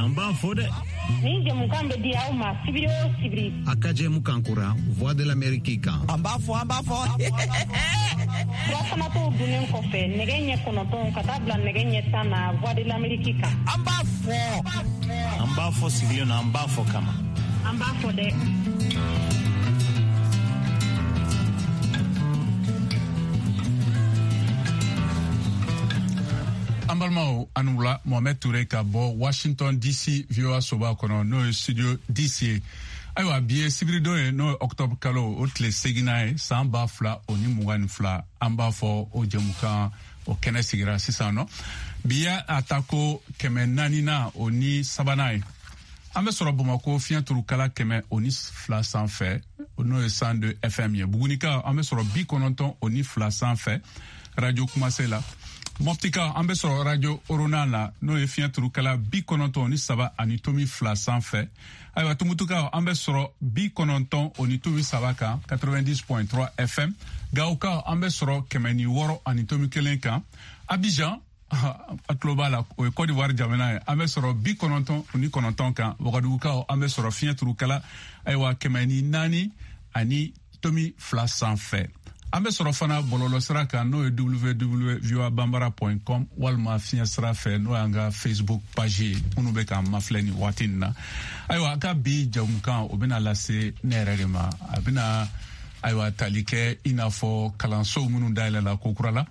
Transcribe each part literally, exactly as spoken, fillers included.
na, an b'a fɔ dɛ. Nin jɛmukan bɛ di aw ma sibiri o sibiri. A ka jɛmukan kura Voix de l'Amérique kan. An b'a fɔ, an b'a fɔ. Furafanatɔw dunnen kɔfɛ nɛgɛ ɲɛ kɔnɔntɔn ka taa bila nɛgɛ ɲɛ tan na Voix de l'Amérique kan. An b'a fɔ. An b'a fɔ sigilen na, an b'a fɔ kama. An b'a fɔ dɛ. An balimaw, an wula. Mohamed Toure ka bɔ Washington D C V O A soba kɔnɔ, n'o ye studio D C ye. Ayiwa, bi ye sibiridon ye, n'o ye octobre kalo o tile seginna ye, san ba fila o ni mugan ni fila. An b'a fɔ o jɛmukan o kɛnɛ sigira sisan nɔ. Bi ye a ta ko kɛmɛ naanina o ni sabanan ye. An bɛ sɔrɔ Bamako fiɲɛ turukala kɛmɛ o ni fila sanfɛ, n'o ye cent deux F M ye. Bugunika, an bɛ sɔrɔ bi kɔnɔntɔn o ni fila sanfɛ, radio Kumase la. Mɔptika, an bɛ sɔrɔ radio Orona la, n'o ye fiɲɛ turukala bi kɔnɔntɔn ni saba ani tomi fila sanfɛ. Ayiwa, Tumutukaw, an bɛ sɔrɔ bi kɔnɔntɔn o ni tomi saba kan, quatre-vingt-dix point trois F M. Gawokaw, an bɛ sɔrɔ kɛmɛ ni wɔɔrɔ ani tomi kelen kan. Abidjan, a tulo b'a la, o ye Côte d'Ivoire jamana ye, an bɛ sɔrɔ bi kɔnɔntɔn ni kɔnɔntɔn kan. Wagadugukaw, an bɛ sɔrɔ fiɲɛ turukala, ayiwa, kɛmɛ ni naani ani tomi fila sanfɛ. An bɛ sɔrɔ fana bɔlɔlɔ sira kan, n'o ye W W W voabambara point com, walima fiɲɛ sira fɛ, n'o y'an ka Facebook page ye, minnu bɛ k'an mafilɛ nin waati nin na. Ayiwa, a ka bi jamukan o bɛna lase ne yɛrɛ de ma. A bɛna, ayiwa, tali kɛ i n'a fɔ kalansow minnu dayɛlɛla ko kura la,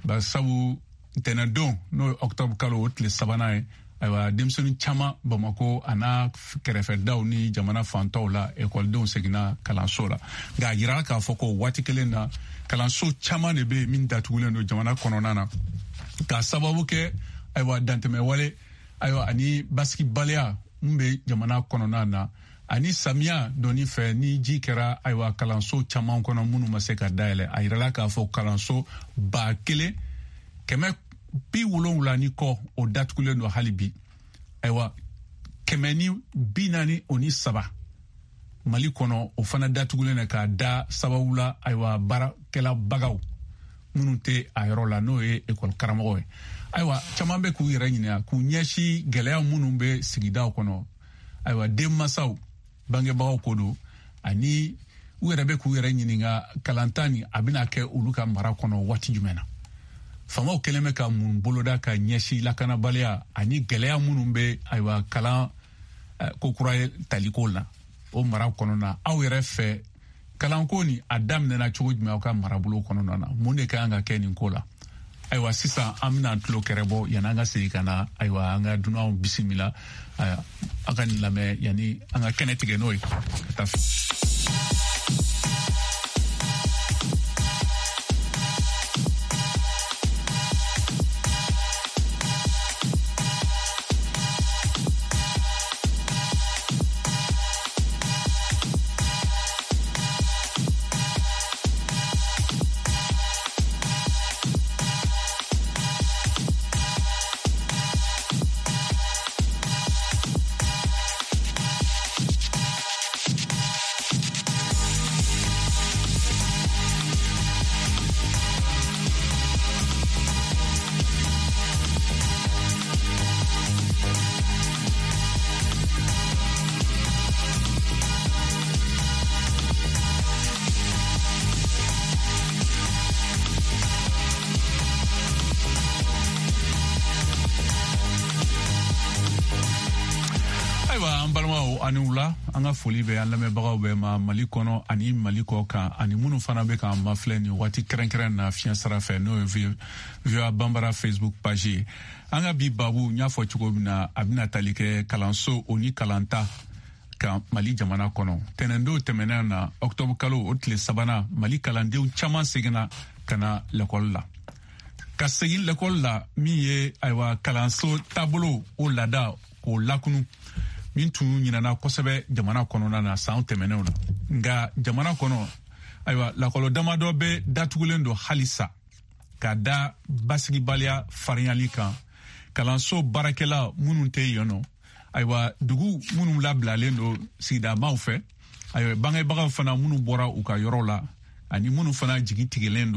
barisabu ntɛnɛndon, n'o ye octobre kalo o tile sabanan ye, ayiwa, denmisɛnnin caman Bamako a n'a kɛrɛfɛdaw ni jamana fantaw la, ekɔlidenw seginna kalanso la. Nka a yirala k'a fɔ ko waati kelen na, kalanso caman de bɛ yen min datugulen don jamana kɔnɔna na, k'a sababu kɛ, ayiwa, dantɛmɛwale, ayiwa, ani basigibaliya mun bɛ jamana kɔnɔna na, ani samiya dɔɔni fɛ ni ji kɛra, ayiwa, kalanso caman kɔnɔ minnu ma se ka dayɛlɛ. A yirala k'a fɔ kalanso ba kelen kɛmɛ bi wolonwula ni kɔ, o datugulen don hali bi. Ayiwa, kɛmɛ ni bi naani o ni saba Mali kɔnɔ, o fana datugulen don k'a da sababu la, ayiwa, baarakɛlabagaw minnu tɛ a yɔrɔ la, n'o ye ekɔli karamɔgɔ ye. Ayiwa, caman bɛ k'u yɛrɛ ɲininka k'u ɲɛsin gɛlɛya minnu bɛ sigidaw kɔnɔ. Ayiwa, denmansaw, bangebagaw ko don, ani u yɛrɛ bɛ k'u yɛrɛ ɲininka kalanta nin a bɛna kɛ olu ka mara kɔnɔ waati jumɛn na. Faamaw kɛlen bɛ ka mun boloda ka ɲɛsin lakanabaliya ani gɛlɛya minnu bɛ, ayiwa, kalan ko kura ye taliko la o mara kɔnɔna? Aw yɛrɛ fɛ, kalanko nin a daminɛna cogo jumɛn aw ka marabolo kɔnɔna na? Mun de ka kan ka kɛ nin ko la? Ayiwa, sisan an bɛna tulo kɛrɛ bɔ yanni an ka segin ka na. Ayiwa, an ka dunanw bisimila. Aw ka nin lamɛn yanni an ka kɛnɛ tigɛ n'o ye ka taa. Ayiwa, an balimaw, ani wula. An ka foli bɛ an lamɛnbagaw bɛɛ ma Mali kɔnɔ ani Mali kɔ kan, ani minnu fana bɛ k'an mafilɛ nin waati kɛrɛnkɛrɛn na fiɲɛ sira fɛ, n'o ye V O A Banbara Facebook page ye. An ka bi babu, n y'a fɔ cogo min na, a bɛna tali kɛ kalanso o ni kalanta kan Mali jamana kɔnɔ. Tɛnɛndon tɛmɛnen na, octobre kalo o tile sabanan, Mali kalandenw caman seginna ka na lɛkɔli la. Ka segin lɛkɔli la min ye, ayiwa, kalanso taabolo o laada k'o lakunu min tun ɲinana kosɛbɛ jamana kɔnɔna na san tɛmɛnenw na. Nka jamana kɔnɔ, ayiwa, lakɔlɔ damadɔ bɛ datugulen don halisa ka da basigibaliya farinyali kan, kalanso baarakɛla minnu tɛ yen nɔ, ayiwa, dugu minnu labilalen don sigidamaw fɛ, ayiwa, bangebagaw fana minnu bɔra u ka yɔrɔ la, ani minnu fana jigi tigɛlen don.